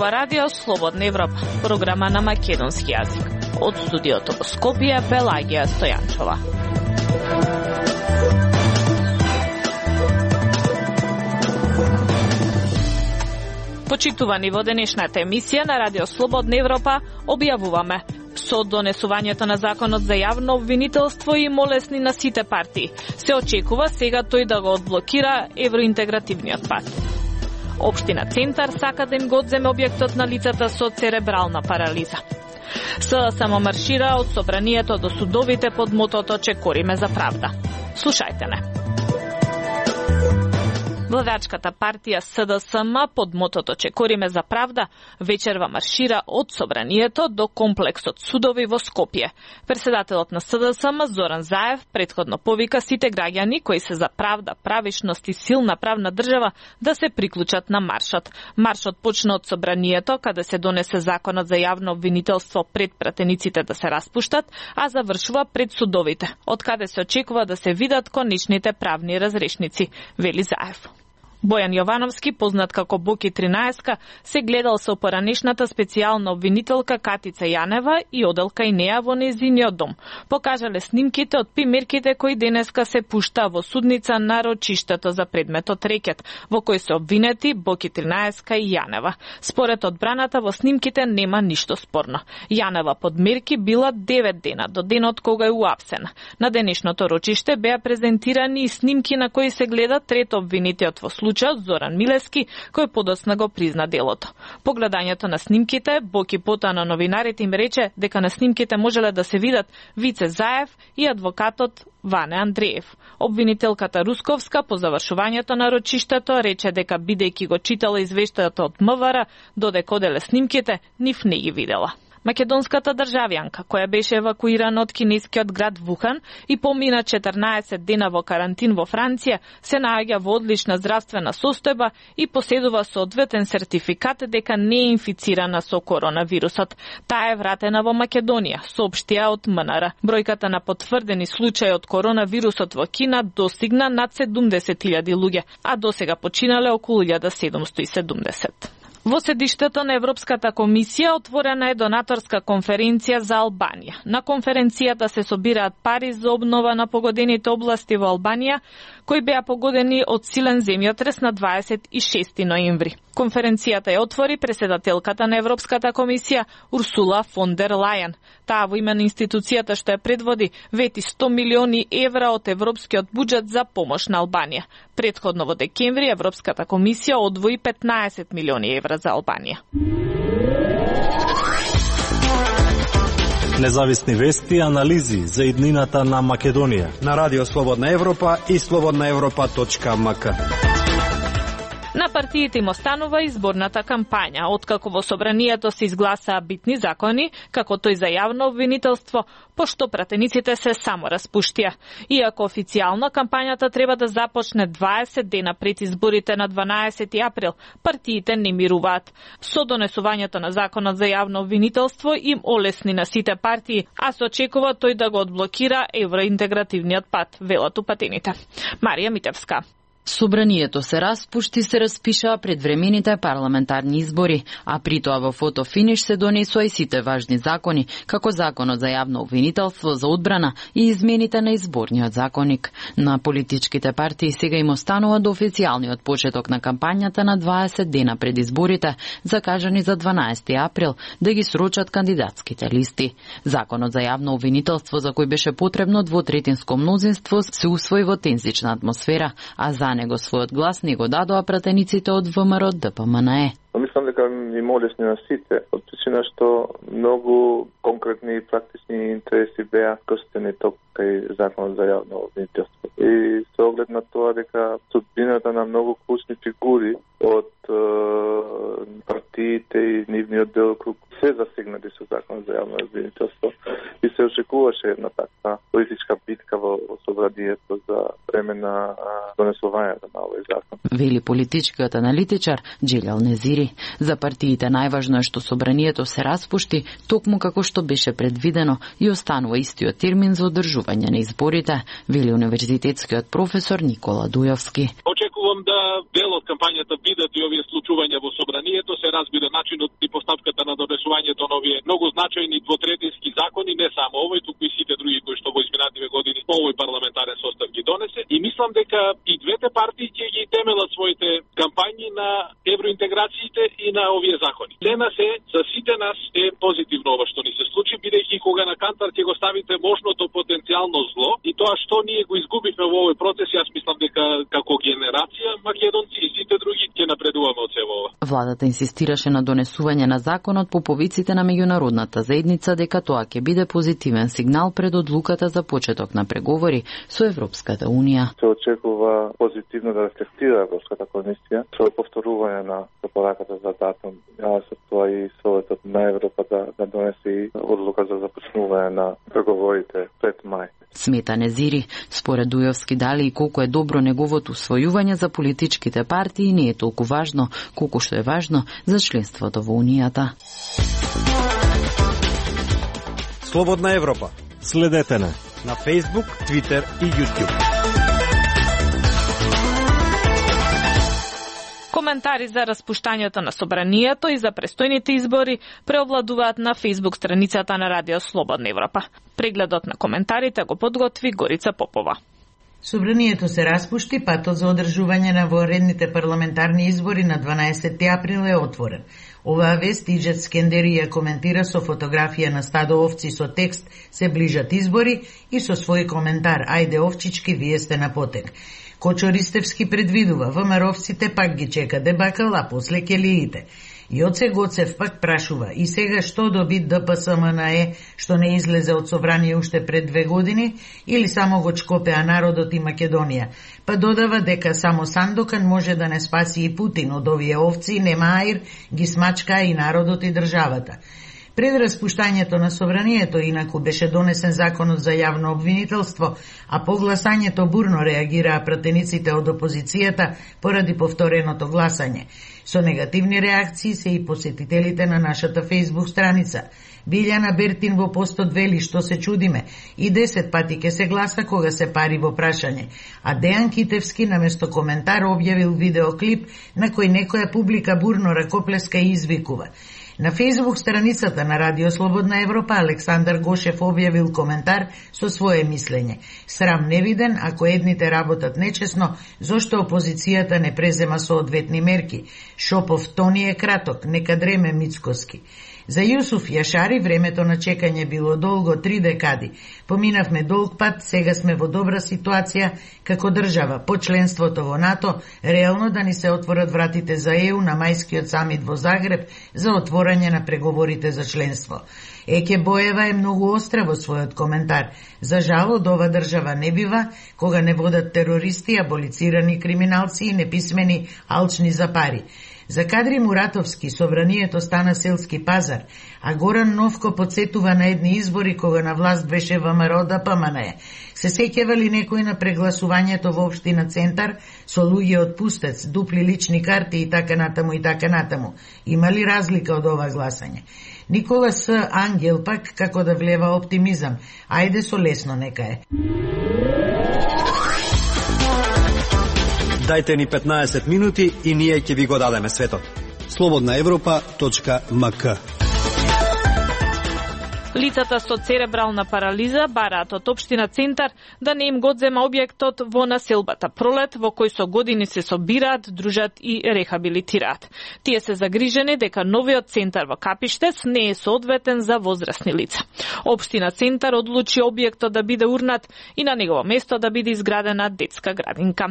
ова радио Слободна Европа, програма на македонски јазик. Од студиото во Скопје, Пелагија Стојанчова. Почитувани во денешната емисија на радио Слободна Европа, објавуваме: со донесувањето на законот за јавно обвинителство и молесни на сите партии, се очекува сега тој да го одблокира евроинтегративниот пат. Општина Центар сака да им го одземе објектот на лицата со церебрална парализа. СДСМ маршира од собранието до судовите под мотото "Чекориме за правда". Слушајте не. Владачката партија СДСМ под мотото "Чекориме за правда" вечерва маршира од собранието до комплексот судови во Скопје. Председателот на СДСМ Зоран Заев претходно повика сите граѓани кои се за правда, правишност и силна правна држава да се приклучат на маршот. Маршот почна од собранието каде се донесе законот за јавно обвинителство пред пратениците да се распуштат, а завршува пред судовите, од каде се очекува да се видат конечните правни разрешници, вели Заев. Бојан Јовановски, познат како Боки 13, се гледал со поранешната специјална обвинителка Катица Јанева и оделка и неа во нејзиниот дом. Покажале снимките од примерките кои денеска се пушта во судница на рочиштето за предметот рекет, во кој се обвинети Боки 13 и Јанева. Според одбраната, во снимките нема ништо спорно. Јанева под мерки била 9 дена до денот кога е уапсена. На денешното рочиште беа презентирани и снимки на кои се гледа трето обвинитиот во случајот Зоран Милевски, кој подоцна го призна делото. По гледањето на снимките, Боки потоа на новинарите им рече дека на снимките можеле да се видат Вице Заев и адвокатот Ване Андреев. Обвинителката Русковска по завршувањето на рочиштето рече дека бидејќи го читала извештајот од МВР, додека оделе снимките, нив не ги видела. Македонската државјанка, која беше евакуирана од кинескиот град Вухан и помина 14 дена во карантин во Франција, се наоѓа во одлична здравствена состојба и поседува соодветен сертификат дека не е инфицирана со коронавирусот. Таа е вратена во Македонија, соопштија од МНР. Бројката на потврдени случаи од коронавирусот во Кина достигна над 70.000 луѓе, а досега починале околу 1770. Во седиштето на Европската комисија отворена е донаторска конференција за Албанија. На конференцијата се собираат пари за обнова на погодените области во Албанија, кои беа погодени од силен земјотрес на 26 ноември. Конференцијата ја отвори председателката на Европската комисија Урсула фон дер Лајен. Таа во име на институцијата што ја предводи вети 100 милиони евра од европскиот буџет за помош на Албанија. Претходно во декември Европската комисија одвои 15 милиони евра за Албанија. Независни вести и анализи за иднината на Македонија на Радио Слободна Европа и slobodnaevropa.mk. На партиите им останува изборната кампања, откако во собранието се изгласаа битни закони, како тој за јавно обвинителство, пошто пратениците се само распуштија. Иако официјално кампањата треба да започне 20 дена пред изборите на 12 април, партиите не мируваат. Со донесувањето на законот за јавно обвинителство им олесни на сите партии, а се очекува тој да го одблокира евроинтегративниот пат, велат упатените. Марија Митевска. Собранието се распушти, се распишаа предвремените парламентарни избори, а при тоа во фотофиниш се донесоа и сите важни закони, како законот за јавно обвинителство, за одбрана и измените на изборниот законник. На политичките партии сега им останува до официјалниот почеток на кампањата на 20 дена пред изборите, закажани за 12 април, да ги срочат кандидатските листи. Законот за јавно обвинителство, за кој беше потребно двотретинско мнозинство, се усвои во тензична атмосфера, а за него својот глас не го дадоа пратениците од ВМРО ДПМНЕ. Мислам дека им олесни на сите, од причина што многу конкретни и практични интереси беа крстени кај законот за јавно обвинителство. И со оглед на тоа дека судбината на многу клучни фигури од партиите и нивниот делокруг се засегнати со законот за јавно обвинителство и се очекуваше една таква политичка битка во собранието за време на донесувањето на овој закон. Вели политичкиот аналитичар Джилјал Незири. За партиите најважно е што собранието се распушти токму како што беше предвидено и останува истиот термин за одржување на изборите, вели универзитетскиот професор Никола Дујовски. очекувам да дел од кампањата бидат и овие случувања во собранието, се разбира начинот и постапката на донесувањето на овие многу значајни двотретински закони, не само овој, туку и сите други кои што во изминативе години овој парламентарен состав ги донесе. И мислам дека и двете партии ќе ги темелат своите кампањи на евроинтеграциите и на овие закони. Тема се за сите нас е позитивно ова што ни се случи, бидејќи кога на кантар ќе го ставите можното потенцијално зло и тоа што ние го изгубивме во овој процес, јас мислам дека како генерација македонци и сите други ќе напредуваме од сево ова. Владата инсистираше на донесување на законот по повиците на меѓународната заедница дека тоа ќе биде позитивен сигнал пред одлуката за почеток на преговори со Европската унија. Се очекува позитивно да рефлектира Европската комисија со повторување на препораката за датум, со тоа и Советот на Европа да донесе одлука за започнување на преговорите пред мај. Смета Незири, според Дујовски дали и колку е добро неговото усвојување за политичките партии не е толку важно, колку што е важно за членството во Унијата. Слободна Европа. Следете на Facebook, Twitter и YouTube. Коментари за распуштањето на собранието и за престојните избори преовладуваат на Facebook страницата на Радио Слободна Европа. Прегледот на коментарите го подготви Горица Попова. Собранието се распушти, патот за одржување на воредните парламентарни избори на 12 април е отворен. Оваа вест Иџет Скендерија коментира со фотографија на стадо овци со текст "Се ближат избори" и со свој коментар "Ајде овчички, вие сте на потек". Кочо Ристевски предвидува, ВМРО-вците пак ги чека дебакал, а после келиите. Јоце Гоцев пак прашува, и сега што доби ДПСМНЕ што не излезе од собрание уште пред 2 години, или само го чкопеа народот и Македонија? Па додава дека само Сандокан може да не спаси и Путин од овие овци, нема аир, ги смачкаа и народот и државата. Пред распуштањето на собранието, инаку беше донесен законот за јавно обвинителство, а по гласањето бурно реагираа пратениците од опозицијата поради повтореното гласање. Со негативни реакции се и посетителите на нашата Facebook страница. Билјана Бертин во постот вели што се чудиме, и 10 пати ке се гласа кога се пари во прашање, а Дејан Китевски наместо коментар објавил видеоклип на кој некоја публика бурно ракоплеска и извикува. На Facebook страницата на Радио Слободна Европа Александар Гошев објавил коментар со свое мислење. Срам невиден, ако едните работат нечесно, зошто опозицијата не презема соодветни мерки? Шопов тони е краток, нека дреме Мицкоски. За Јусуф Јашари времето на чекање било долго 3 декади. Поминавме долг пат, сега сме во добра ситуација како држава по членството во НАТО, реално да ни се отворат вратите за ЕУ на мајскиот самит во Загреб за отворање на преговорите за членство. Еке Боева е многу остра во својот коментар. За жал од ова држава не бива кога не водат терористи, аболицирани криминалци и неписмени алчни за пари. За Кадри Муратовски собранието стана селски пазар, а Горан Новко подсетува на едни избори кога на власт беше ВМРО ДПМНЕ. Се сеќава ли некој на прегласувањето во општина Центар со луѓе од Пустец, дупли лични карти и така натаму и така натаму? Има ли разлика од ова гласање? Никола С. Ангел пак како да влева оптимизам. Ајде со лесно нека е. Дајте ни 15 минути и ние ќе ви го дадеме светот. slobodnaevropa.mk. Лицата со церебрална парализа бараат од општина Центар да не им го одзема објектот во населбата Пролет, во кој со години се собираат, дружат и рехабилитираат. Тие се загрижени дека новиот центар во Капиштец не е соодветен за возрастни лица. Општина Центар одлучи објектот да биде урнат и на негово место да биде изградена детска градинка.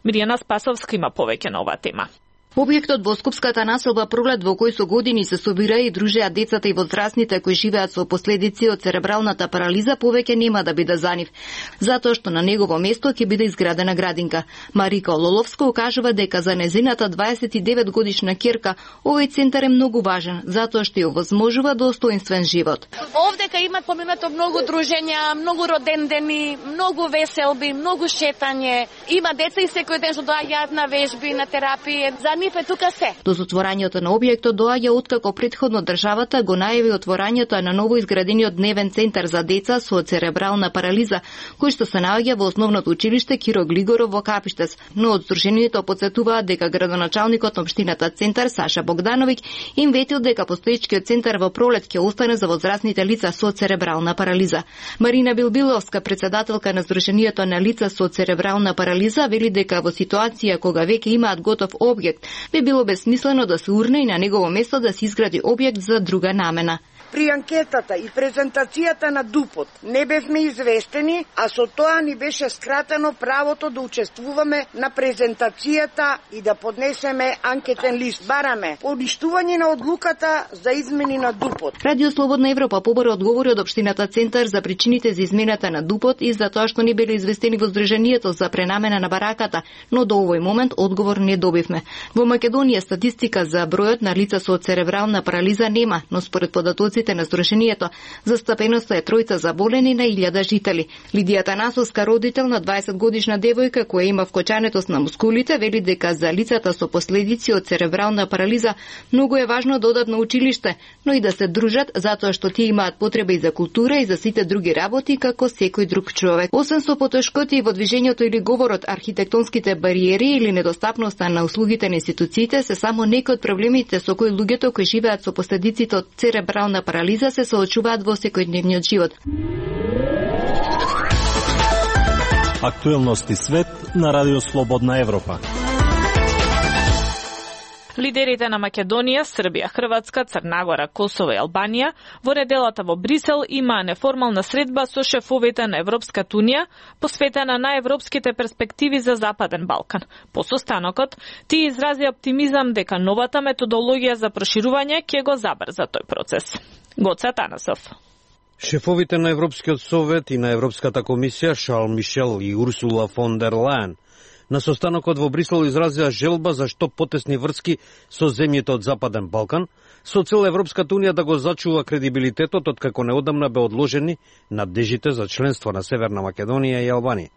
Миријана Спасовска има повеќе на оваа тема. Објектот во Скопската населба Пролет, во кој со години се собира и дружеат децата и возрастните кои живеат со последици од церебралната парализа, повеќе нема да биде за нив, затоа што на негово место ќе биде изградена градинка. Марика Лоловска укажува дека за незината 29 годишна ќерка овој центар е многу важен, затоа што ја овозможува достоинствен живот. Овдека имат поминато многу дружења, многу родендени, многу веселби, многу шетање. Има деца и секој ден што доаѓаат на вежби, на терапија. За мипе тука се. До затворањето на објектот доаѓа откако претходно државата го најави отворањето на ново изградениот дневен центар за деца со церебрална парализа, кој што се наоѓа во основното училиште Киро Глигоров во Капиштес. Но од здруженијето потсетуваат дека градоначалникот на општината Центар Саша Богдановиќ им ветил дека постоечкиот центар во пролет ќе остане за возрастните лица со церебрална парализа. Марина Билбиловска, председателка на Здруженијето на лица со церебрална парализа, вели дека во ситуација кога веќе имаат готов објект, би било бесмислено да се урне и на негово место да се изгради објект за друга намена. При анкетата и презентацијата на ДУПот не бевме известени, а со тоа ни беше скратено правото да учествуваме на презентацијата и да поднесеме анкетен лист. Бараме поништување на одлуката за измени на ДУПот. Радио Слободна Европа побаро одговори од општината Центар за причините за измената на ДУПот и за тоа што не биле известени во Здруженијето за пренамена на бараката, но до овој момент одговор не добивме. Во Македонија статистика за бројот на лица со церебрална парализа нема, но според податоците на Здруженијето, застапеноста е 3 заболени на 1000 жители. Лидија Танасовска, родител на 20 годишна девојка која има вкочанетост на мускулите, вели дека за лицата со последици од церебрална парализа многу е важно да одат на училиште, но и да се дружат затоа што тие имаат потреба и за култура и за сите други работи како секој друг човек. Освен со потешкоти во движењето или говорот, архитектонските бариери или недостапноста на услугите на институциите се само некои од проблемите со кои луѓето кои живеат со последиците од церебрална парализа се соочуваат во секојдневниот живот. Актуелности свет на Радио Слободна Европа. Лидерите на Македонија, Србија, Хрватска, Црна Гора, Косово и Албанија во неделата во Брисел имаа неформална средба со шефовите на Европската унија посветена на европските перспективи за Западен Балкан. По состанокот, тие изрази оптимизам дека новата методологија за проширување ќе го забрза тој процес. Гоце Танасов. Шефовите на Европскиот совет и на Европската комисија Шарл Мишел и Урсула фон дер Лајен на состанокот во Брисел изразија желба за што потесни врски со земјите од Западен Балкан, со цел Европската унија да го зачува кредибилитетот од како неодамна бе одложени надежите за членство на Северна Македонија и Албанија.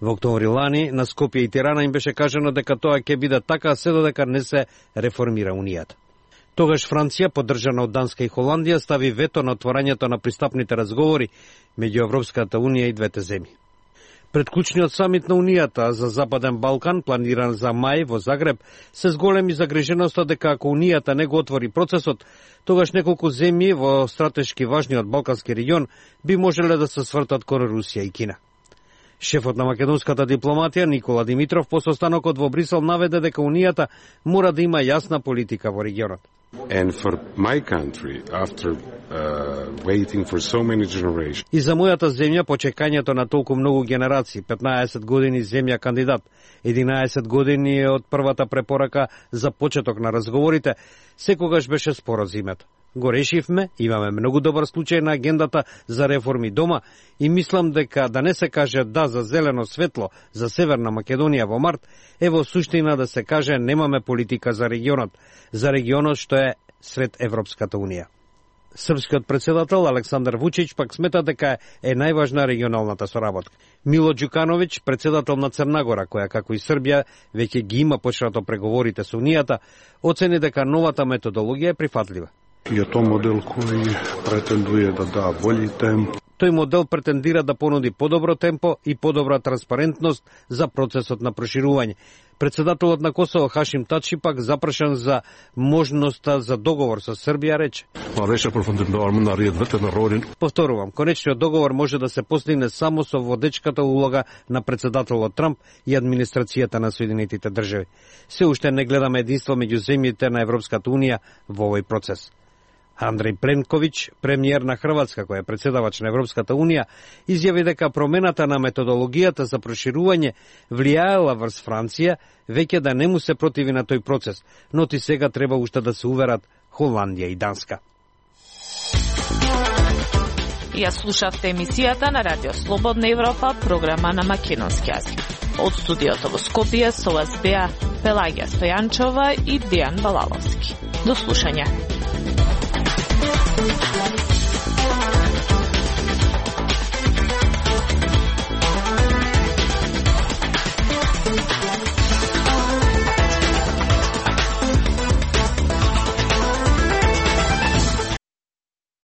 Во октомври лани на Скопје и Тирана им беше кажано дека тоа ќе биде така се додека не се реформира унијата. Тогаш Франција, поддржана од Данска и Холандија, стави вето на отворањето на пристапните разговори меѓу Европската унија и двете земји. Пред клучниот самит на Унијата за Западен Балкан, планиран за мај во Загреб, се зголеми загриженоста дека ако Унијата не го отвори процесот, тогаш неколку земји во стратешки важниот балкански регион би можеле да се свртат кон Русија и Кина. Шефот на македонската дипломатија Никола Димитров по состанокот во Брисел наведе дека Унијата мора да има јасна политика во регионот. And for my country, after waiting for so many generations. И за мојата земја, по чекањето на толку многу генерации, 15 години земја кандидат, 11 години од првата препорака за почеток на разговорите, секогаш беше споро зимето. Го решивме, имаме многу добар случај на агендата за реформи дома и мислам дека да не се каже да за зелено светло за Северна Македонија во март, е во суштина да се каже немаме политика за регионот што е сред Европската унија. Српскиот председател Александар Вучич пак смета дека е најважна регионалната соработка. Мило Ѓукановиќ, председател на Црна Гора, која како и Србија веќе ги има почнато преговорите со Унијата, оцени дека новата методологија е прифатлива. Je to model koji pretenduje da da bolji tempo. Тој модел претендира да понуди подобро темпо и подобра транспарентност за процесот на проширување. Председателот на Косово Хашим Тачи пак запрашан за можноста за договор со Србија рече. Повторувам, конечниот договор може да се постигне само со водечката улога на председателот Трамп и администрацијата на Соединетите држави. Се уште не гледаме единство меѓу земјите на Европската унија во овој процес. Андреј Пленковиќ, премиер на Хрватска, која е председавач на Европската унија, изјави дека промената на методологијата за проширување влијаела врз Франција, веќе да не му се противи на тој процес, но ти сега треба уште да се уверат Холандија и Данска. Ја слушавте емисијата на Радио Слободна Европа, програма на македонски јазик. Од студиото во Скопје со вас беа Пелагија Стојанчова и Дејан Балаловски. До слушање.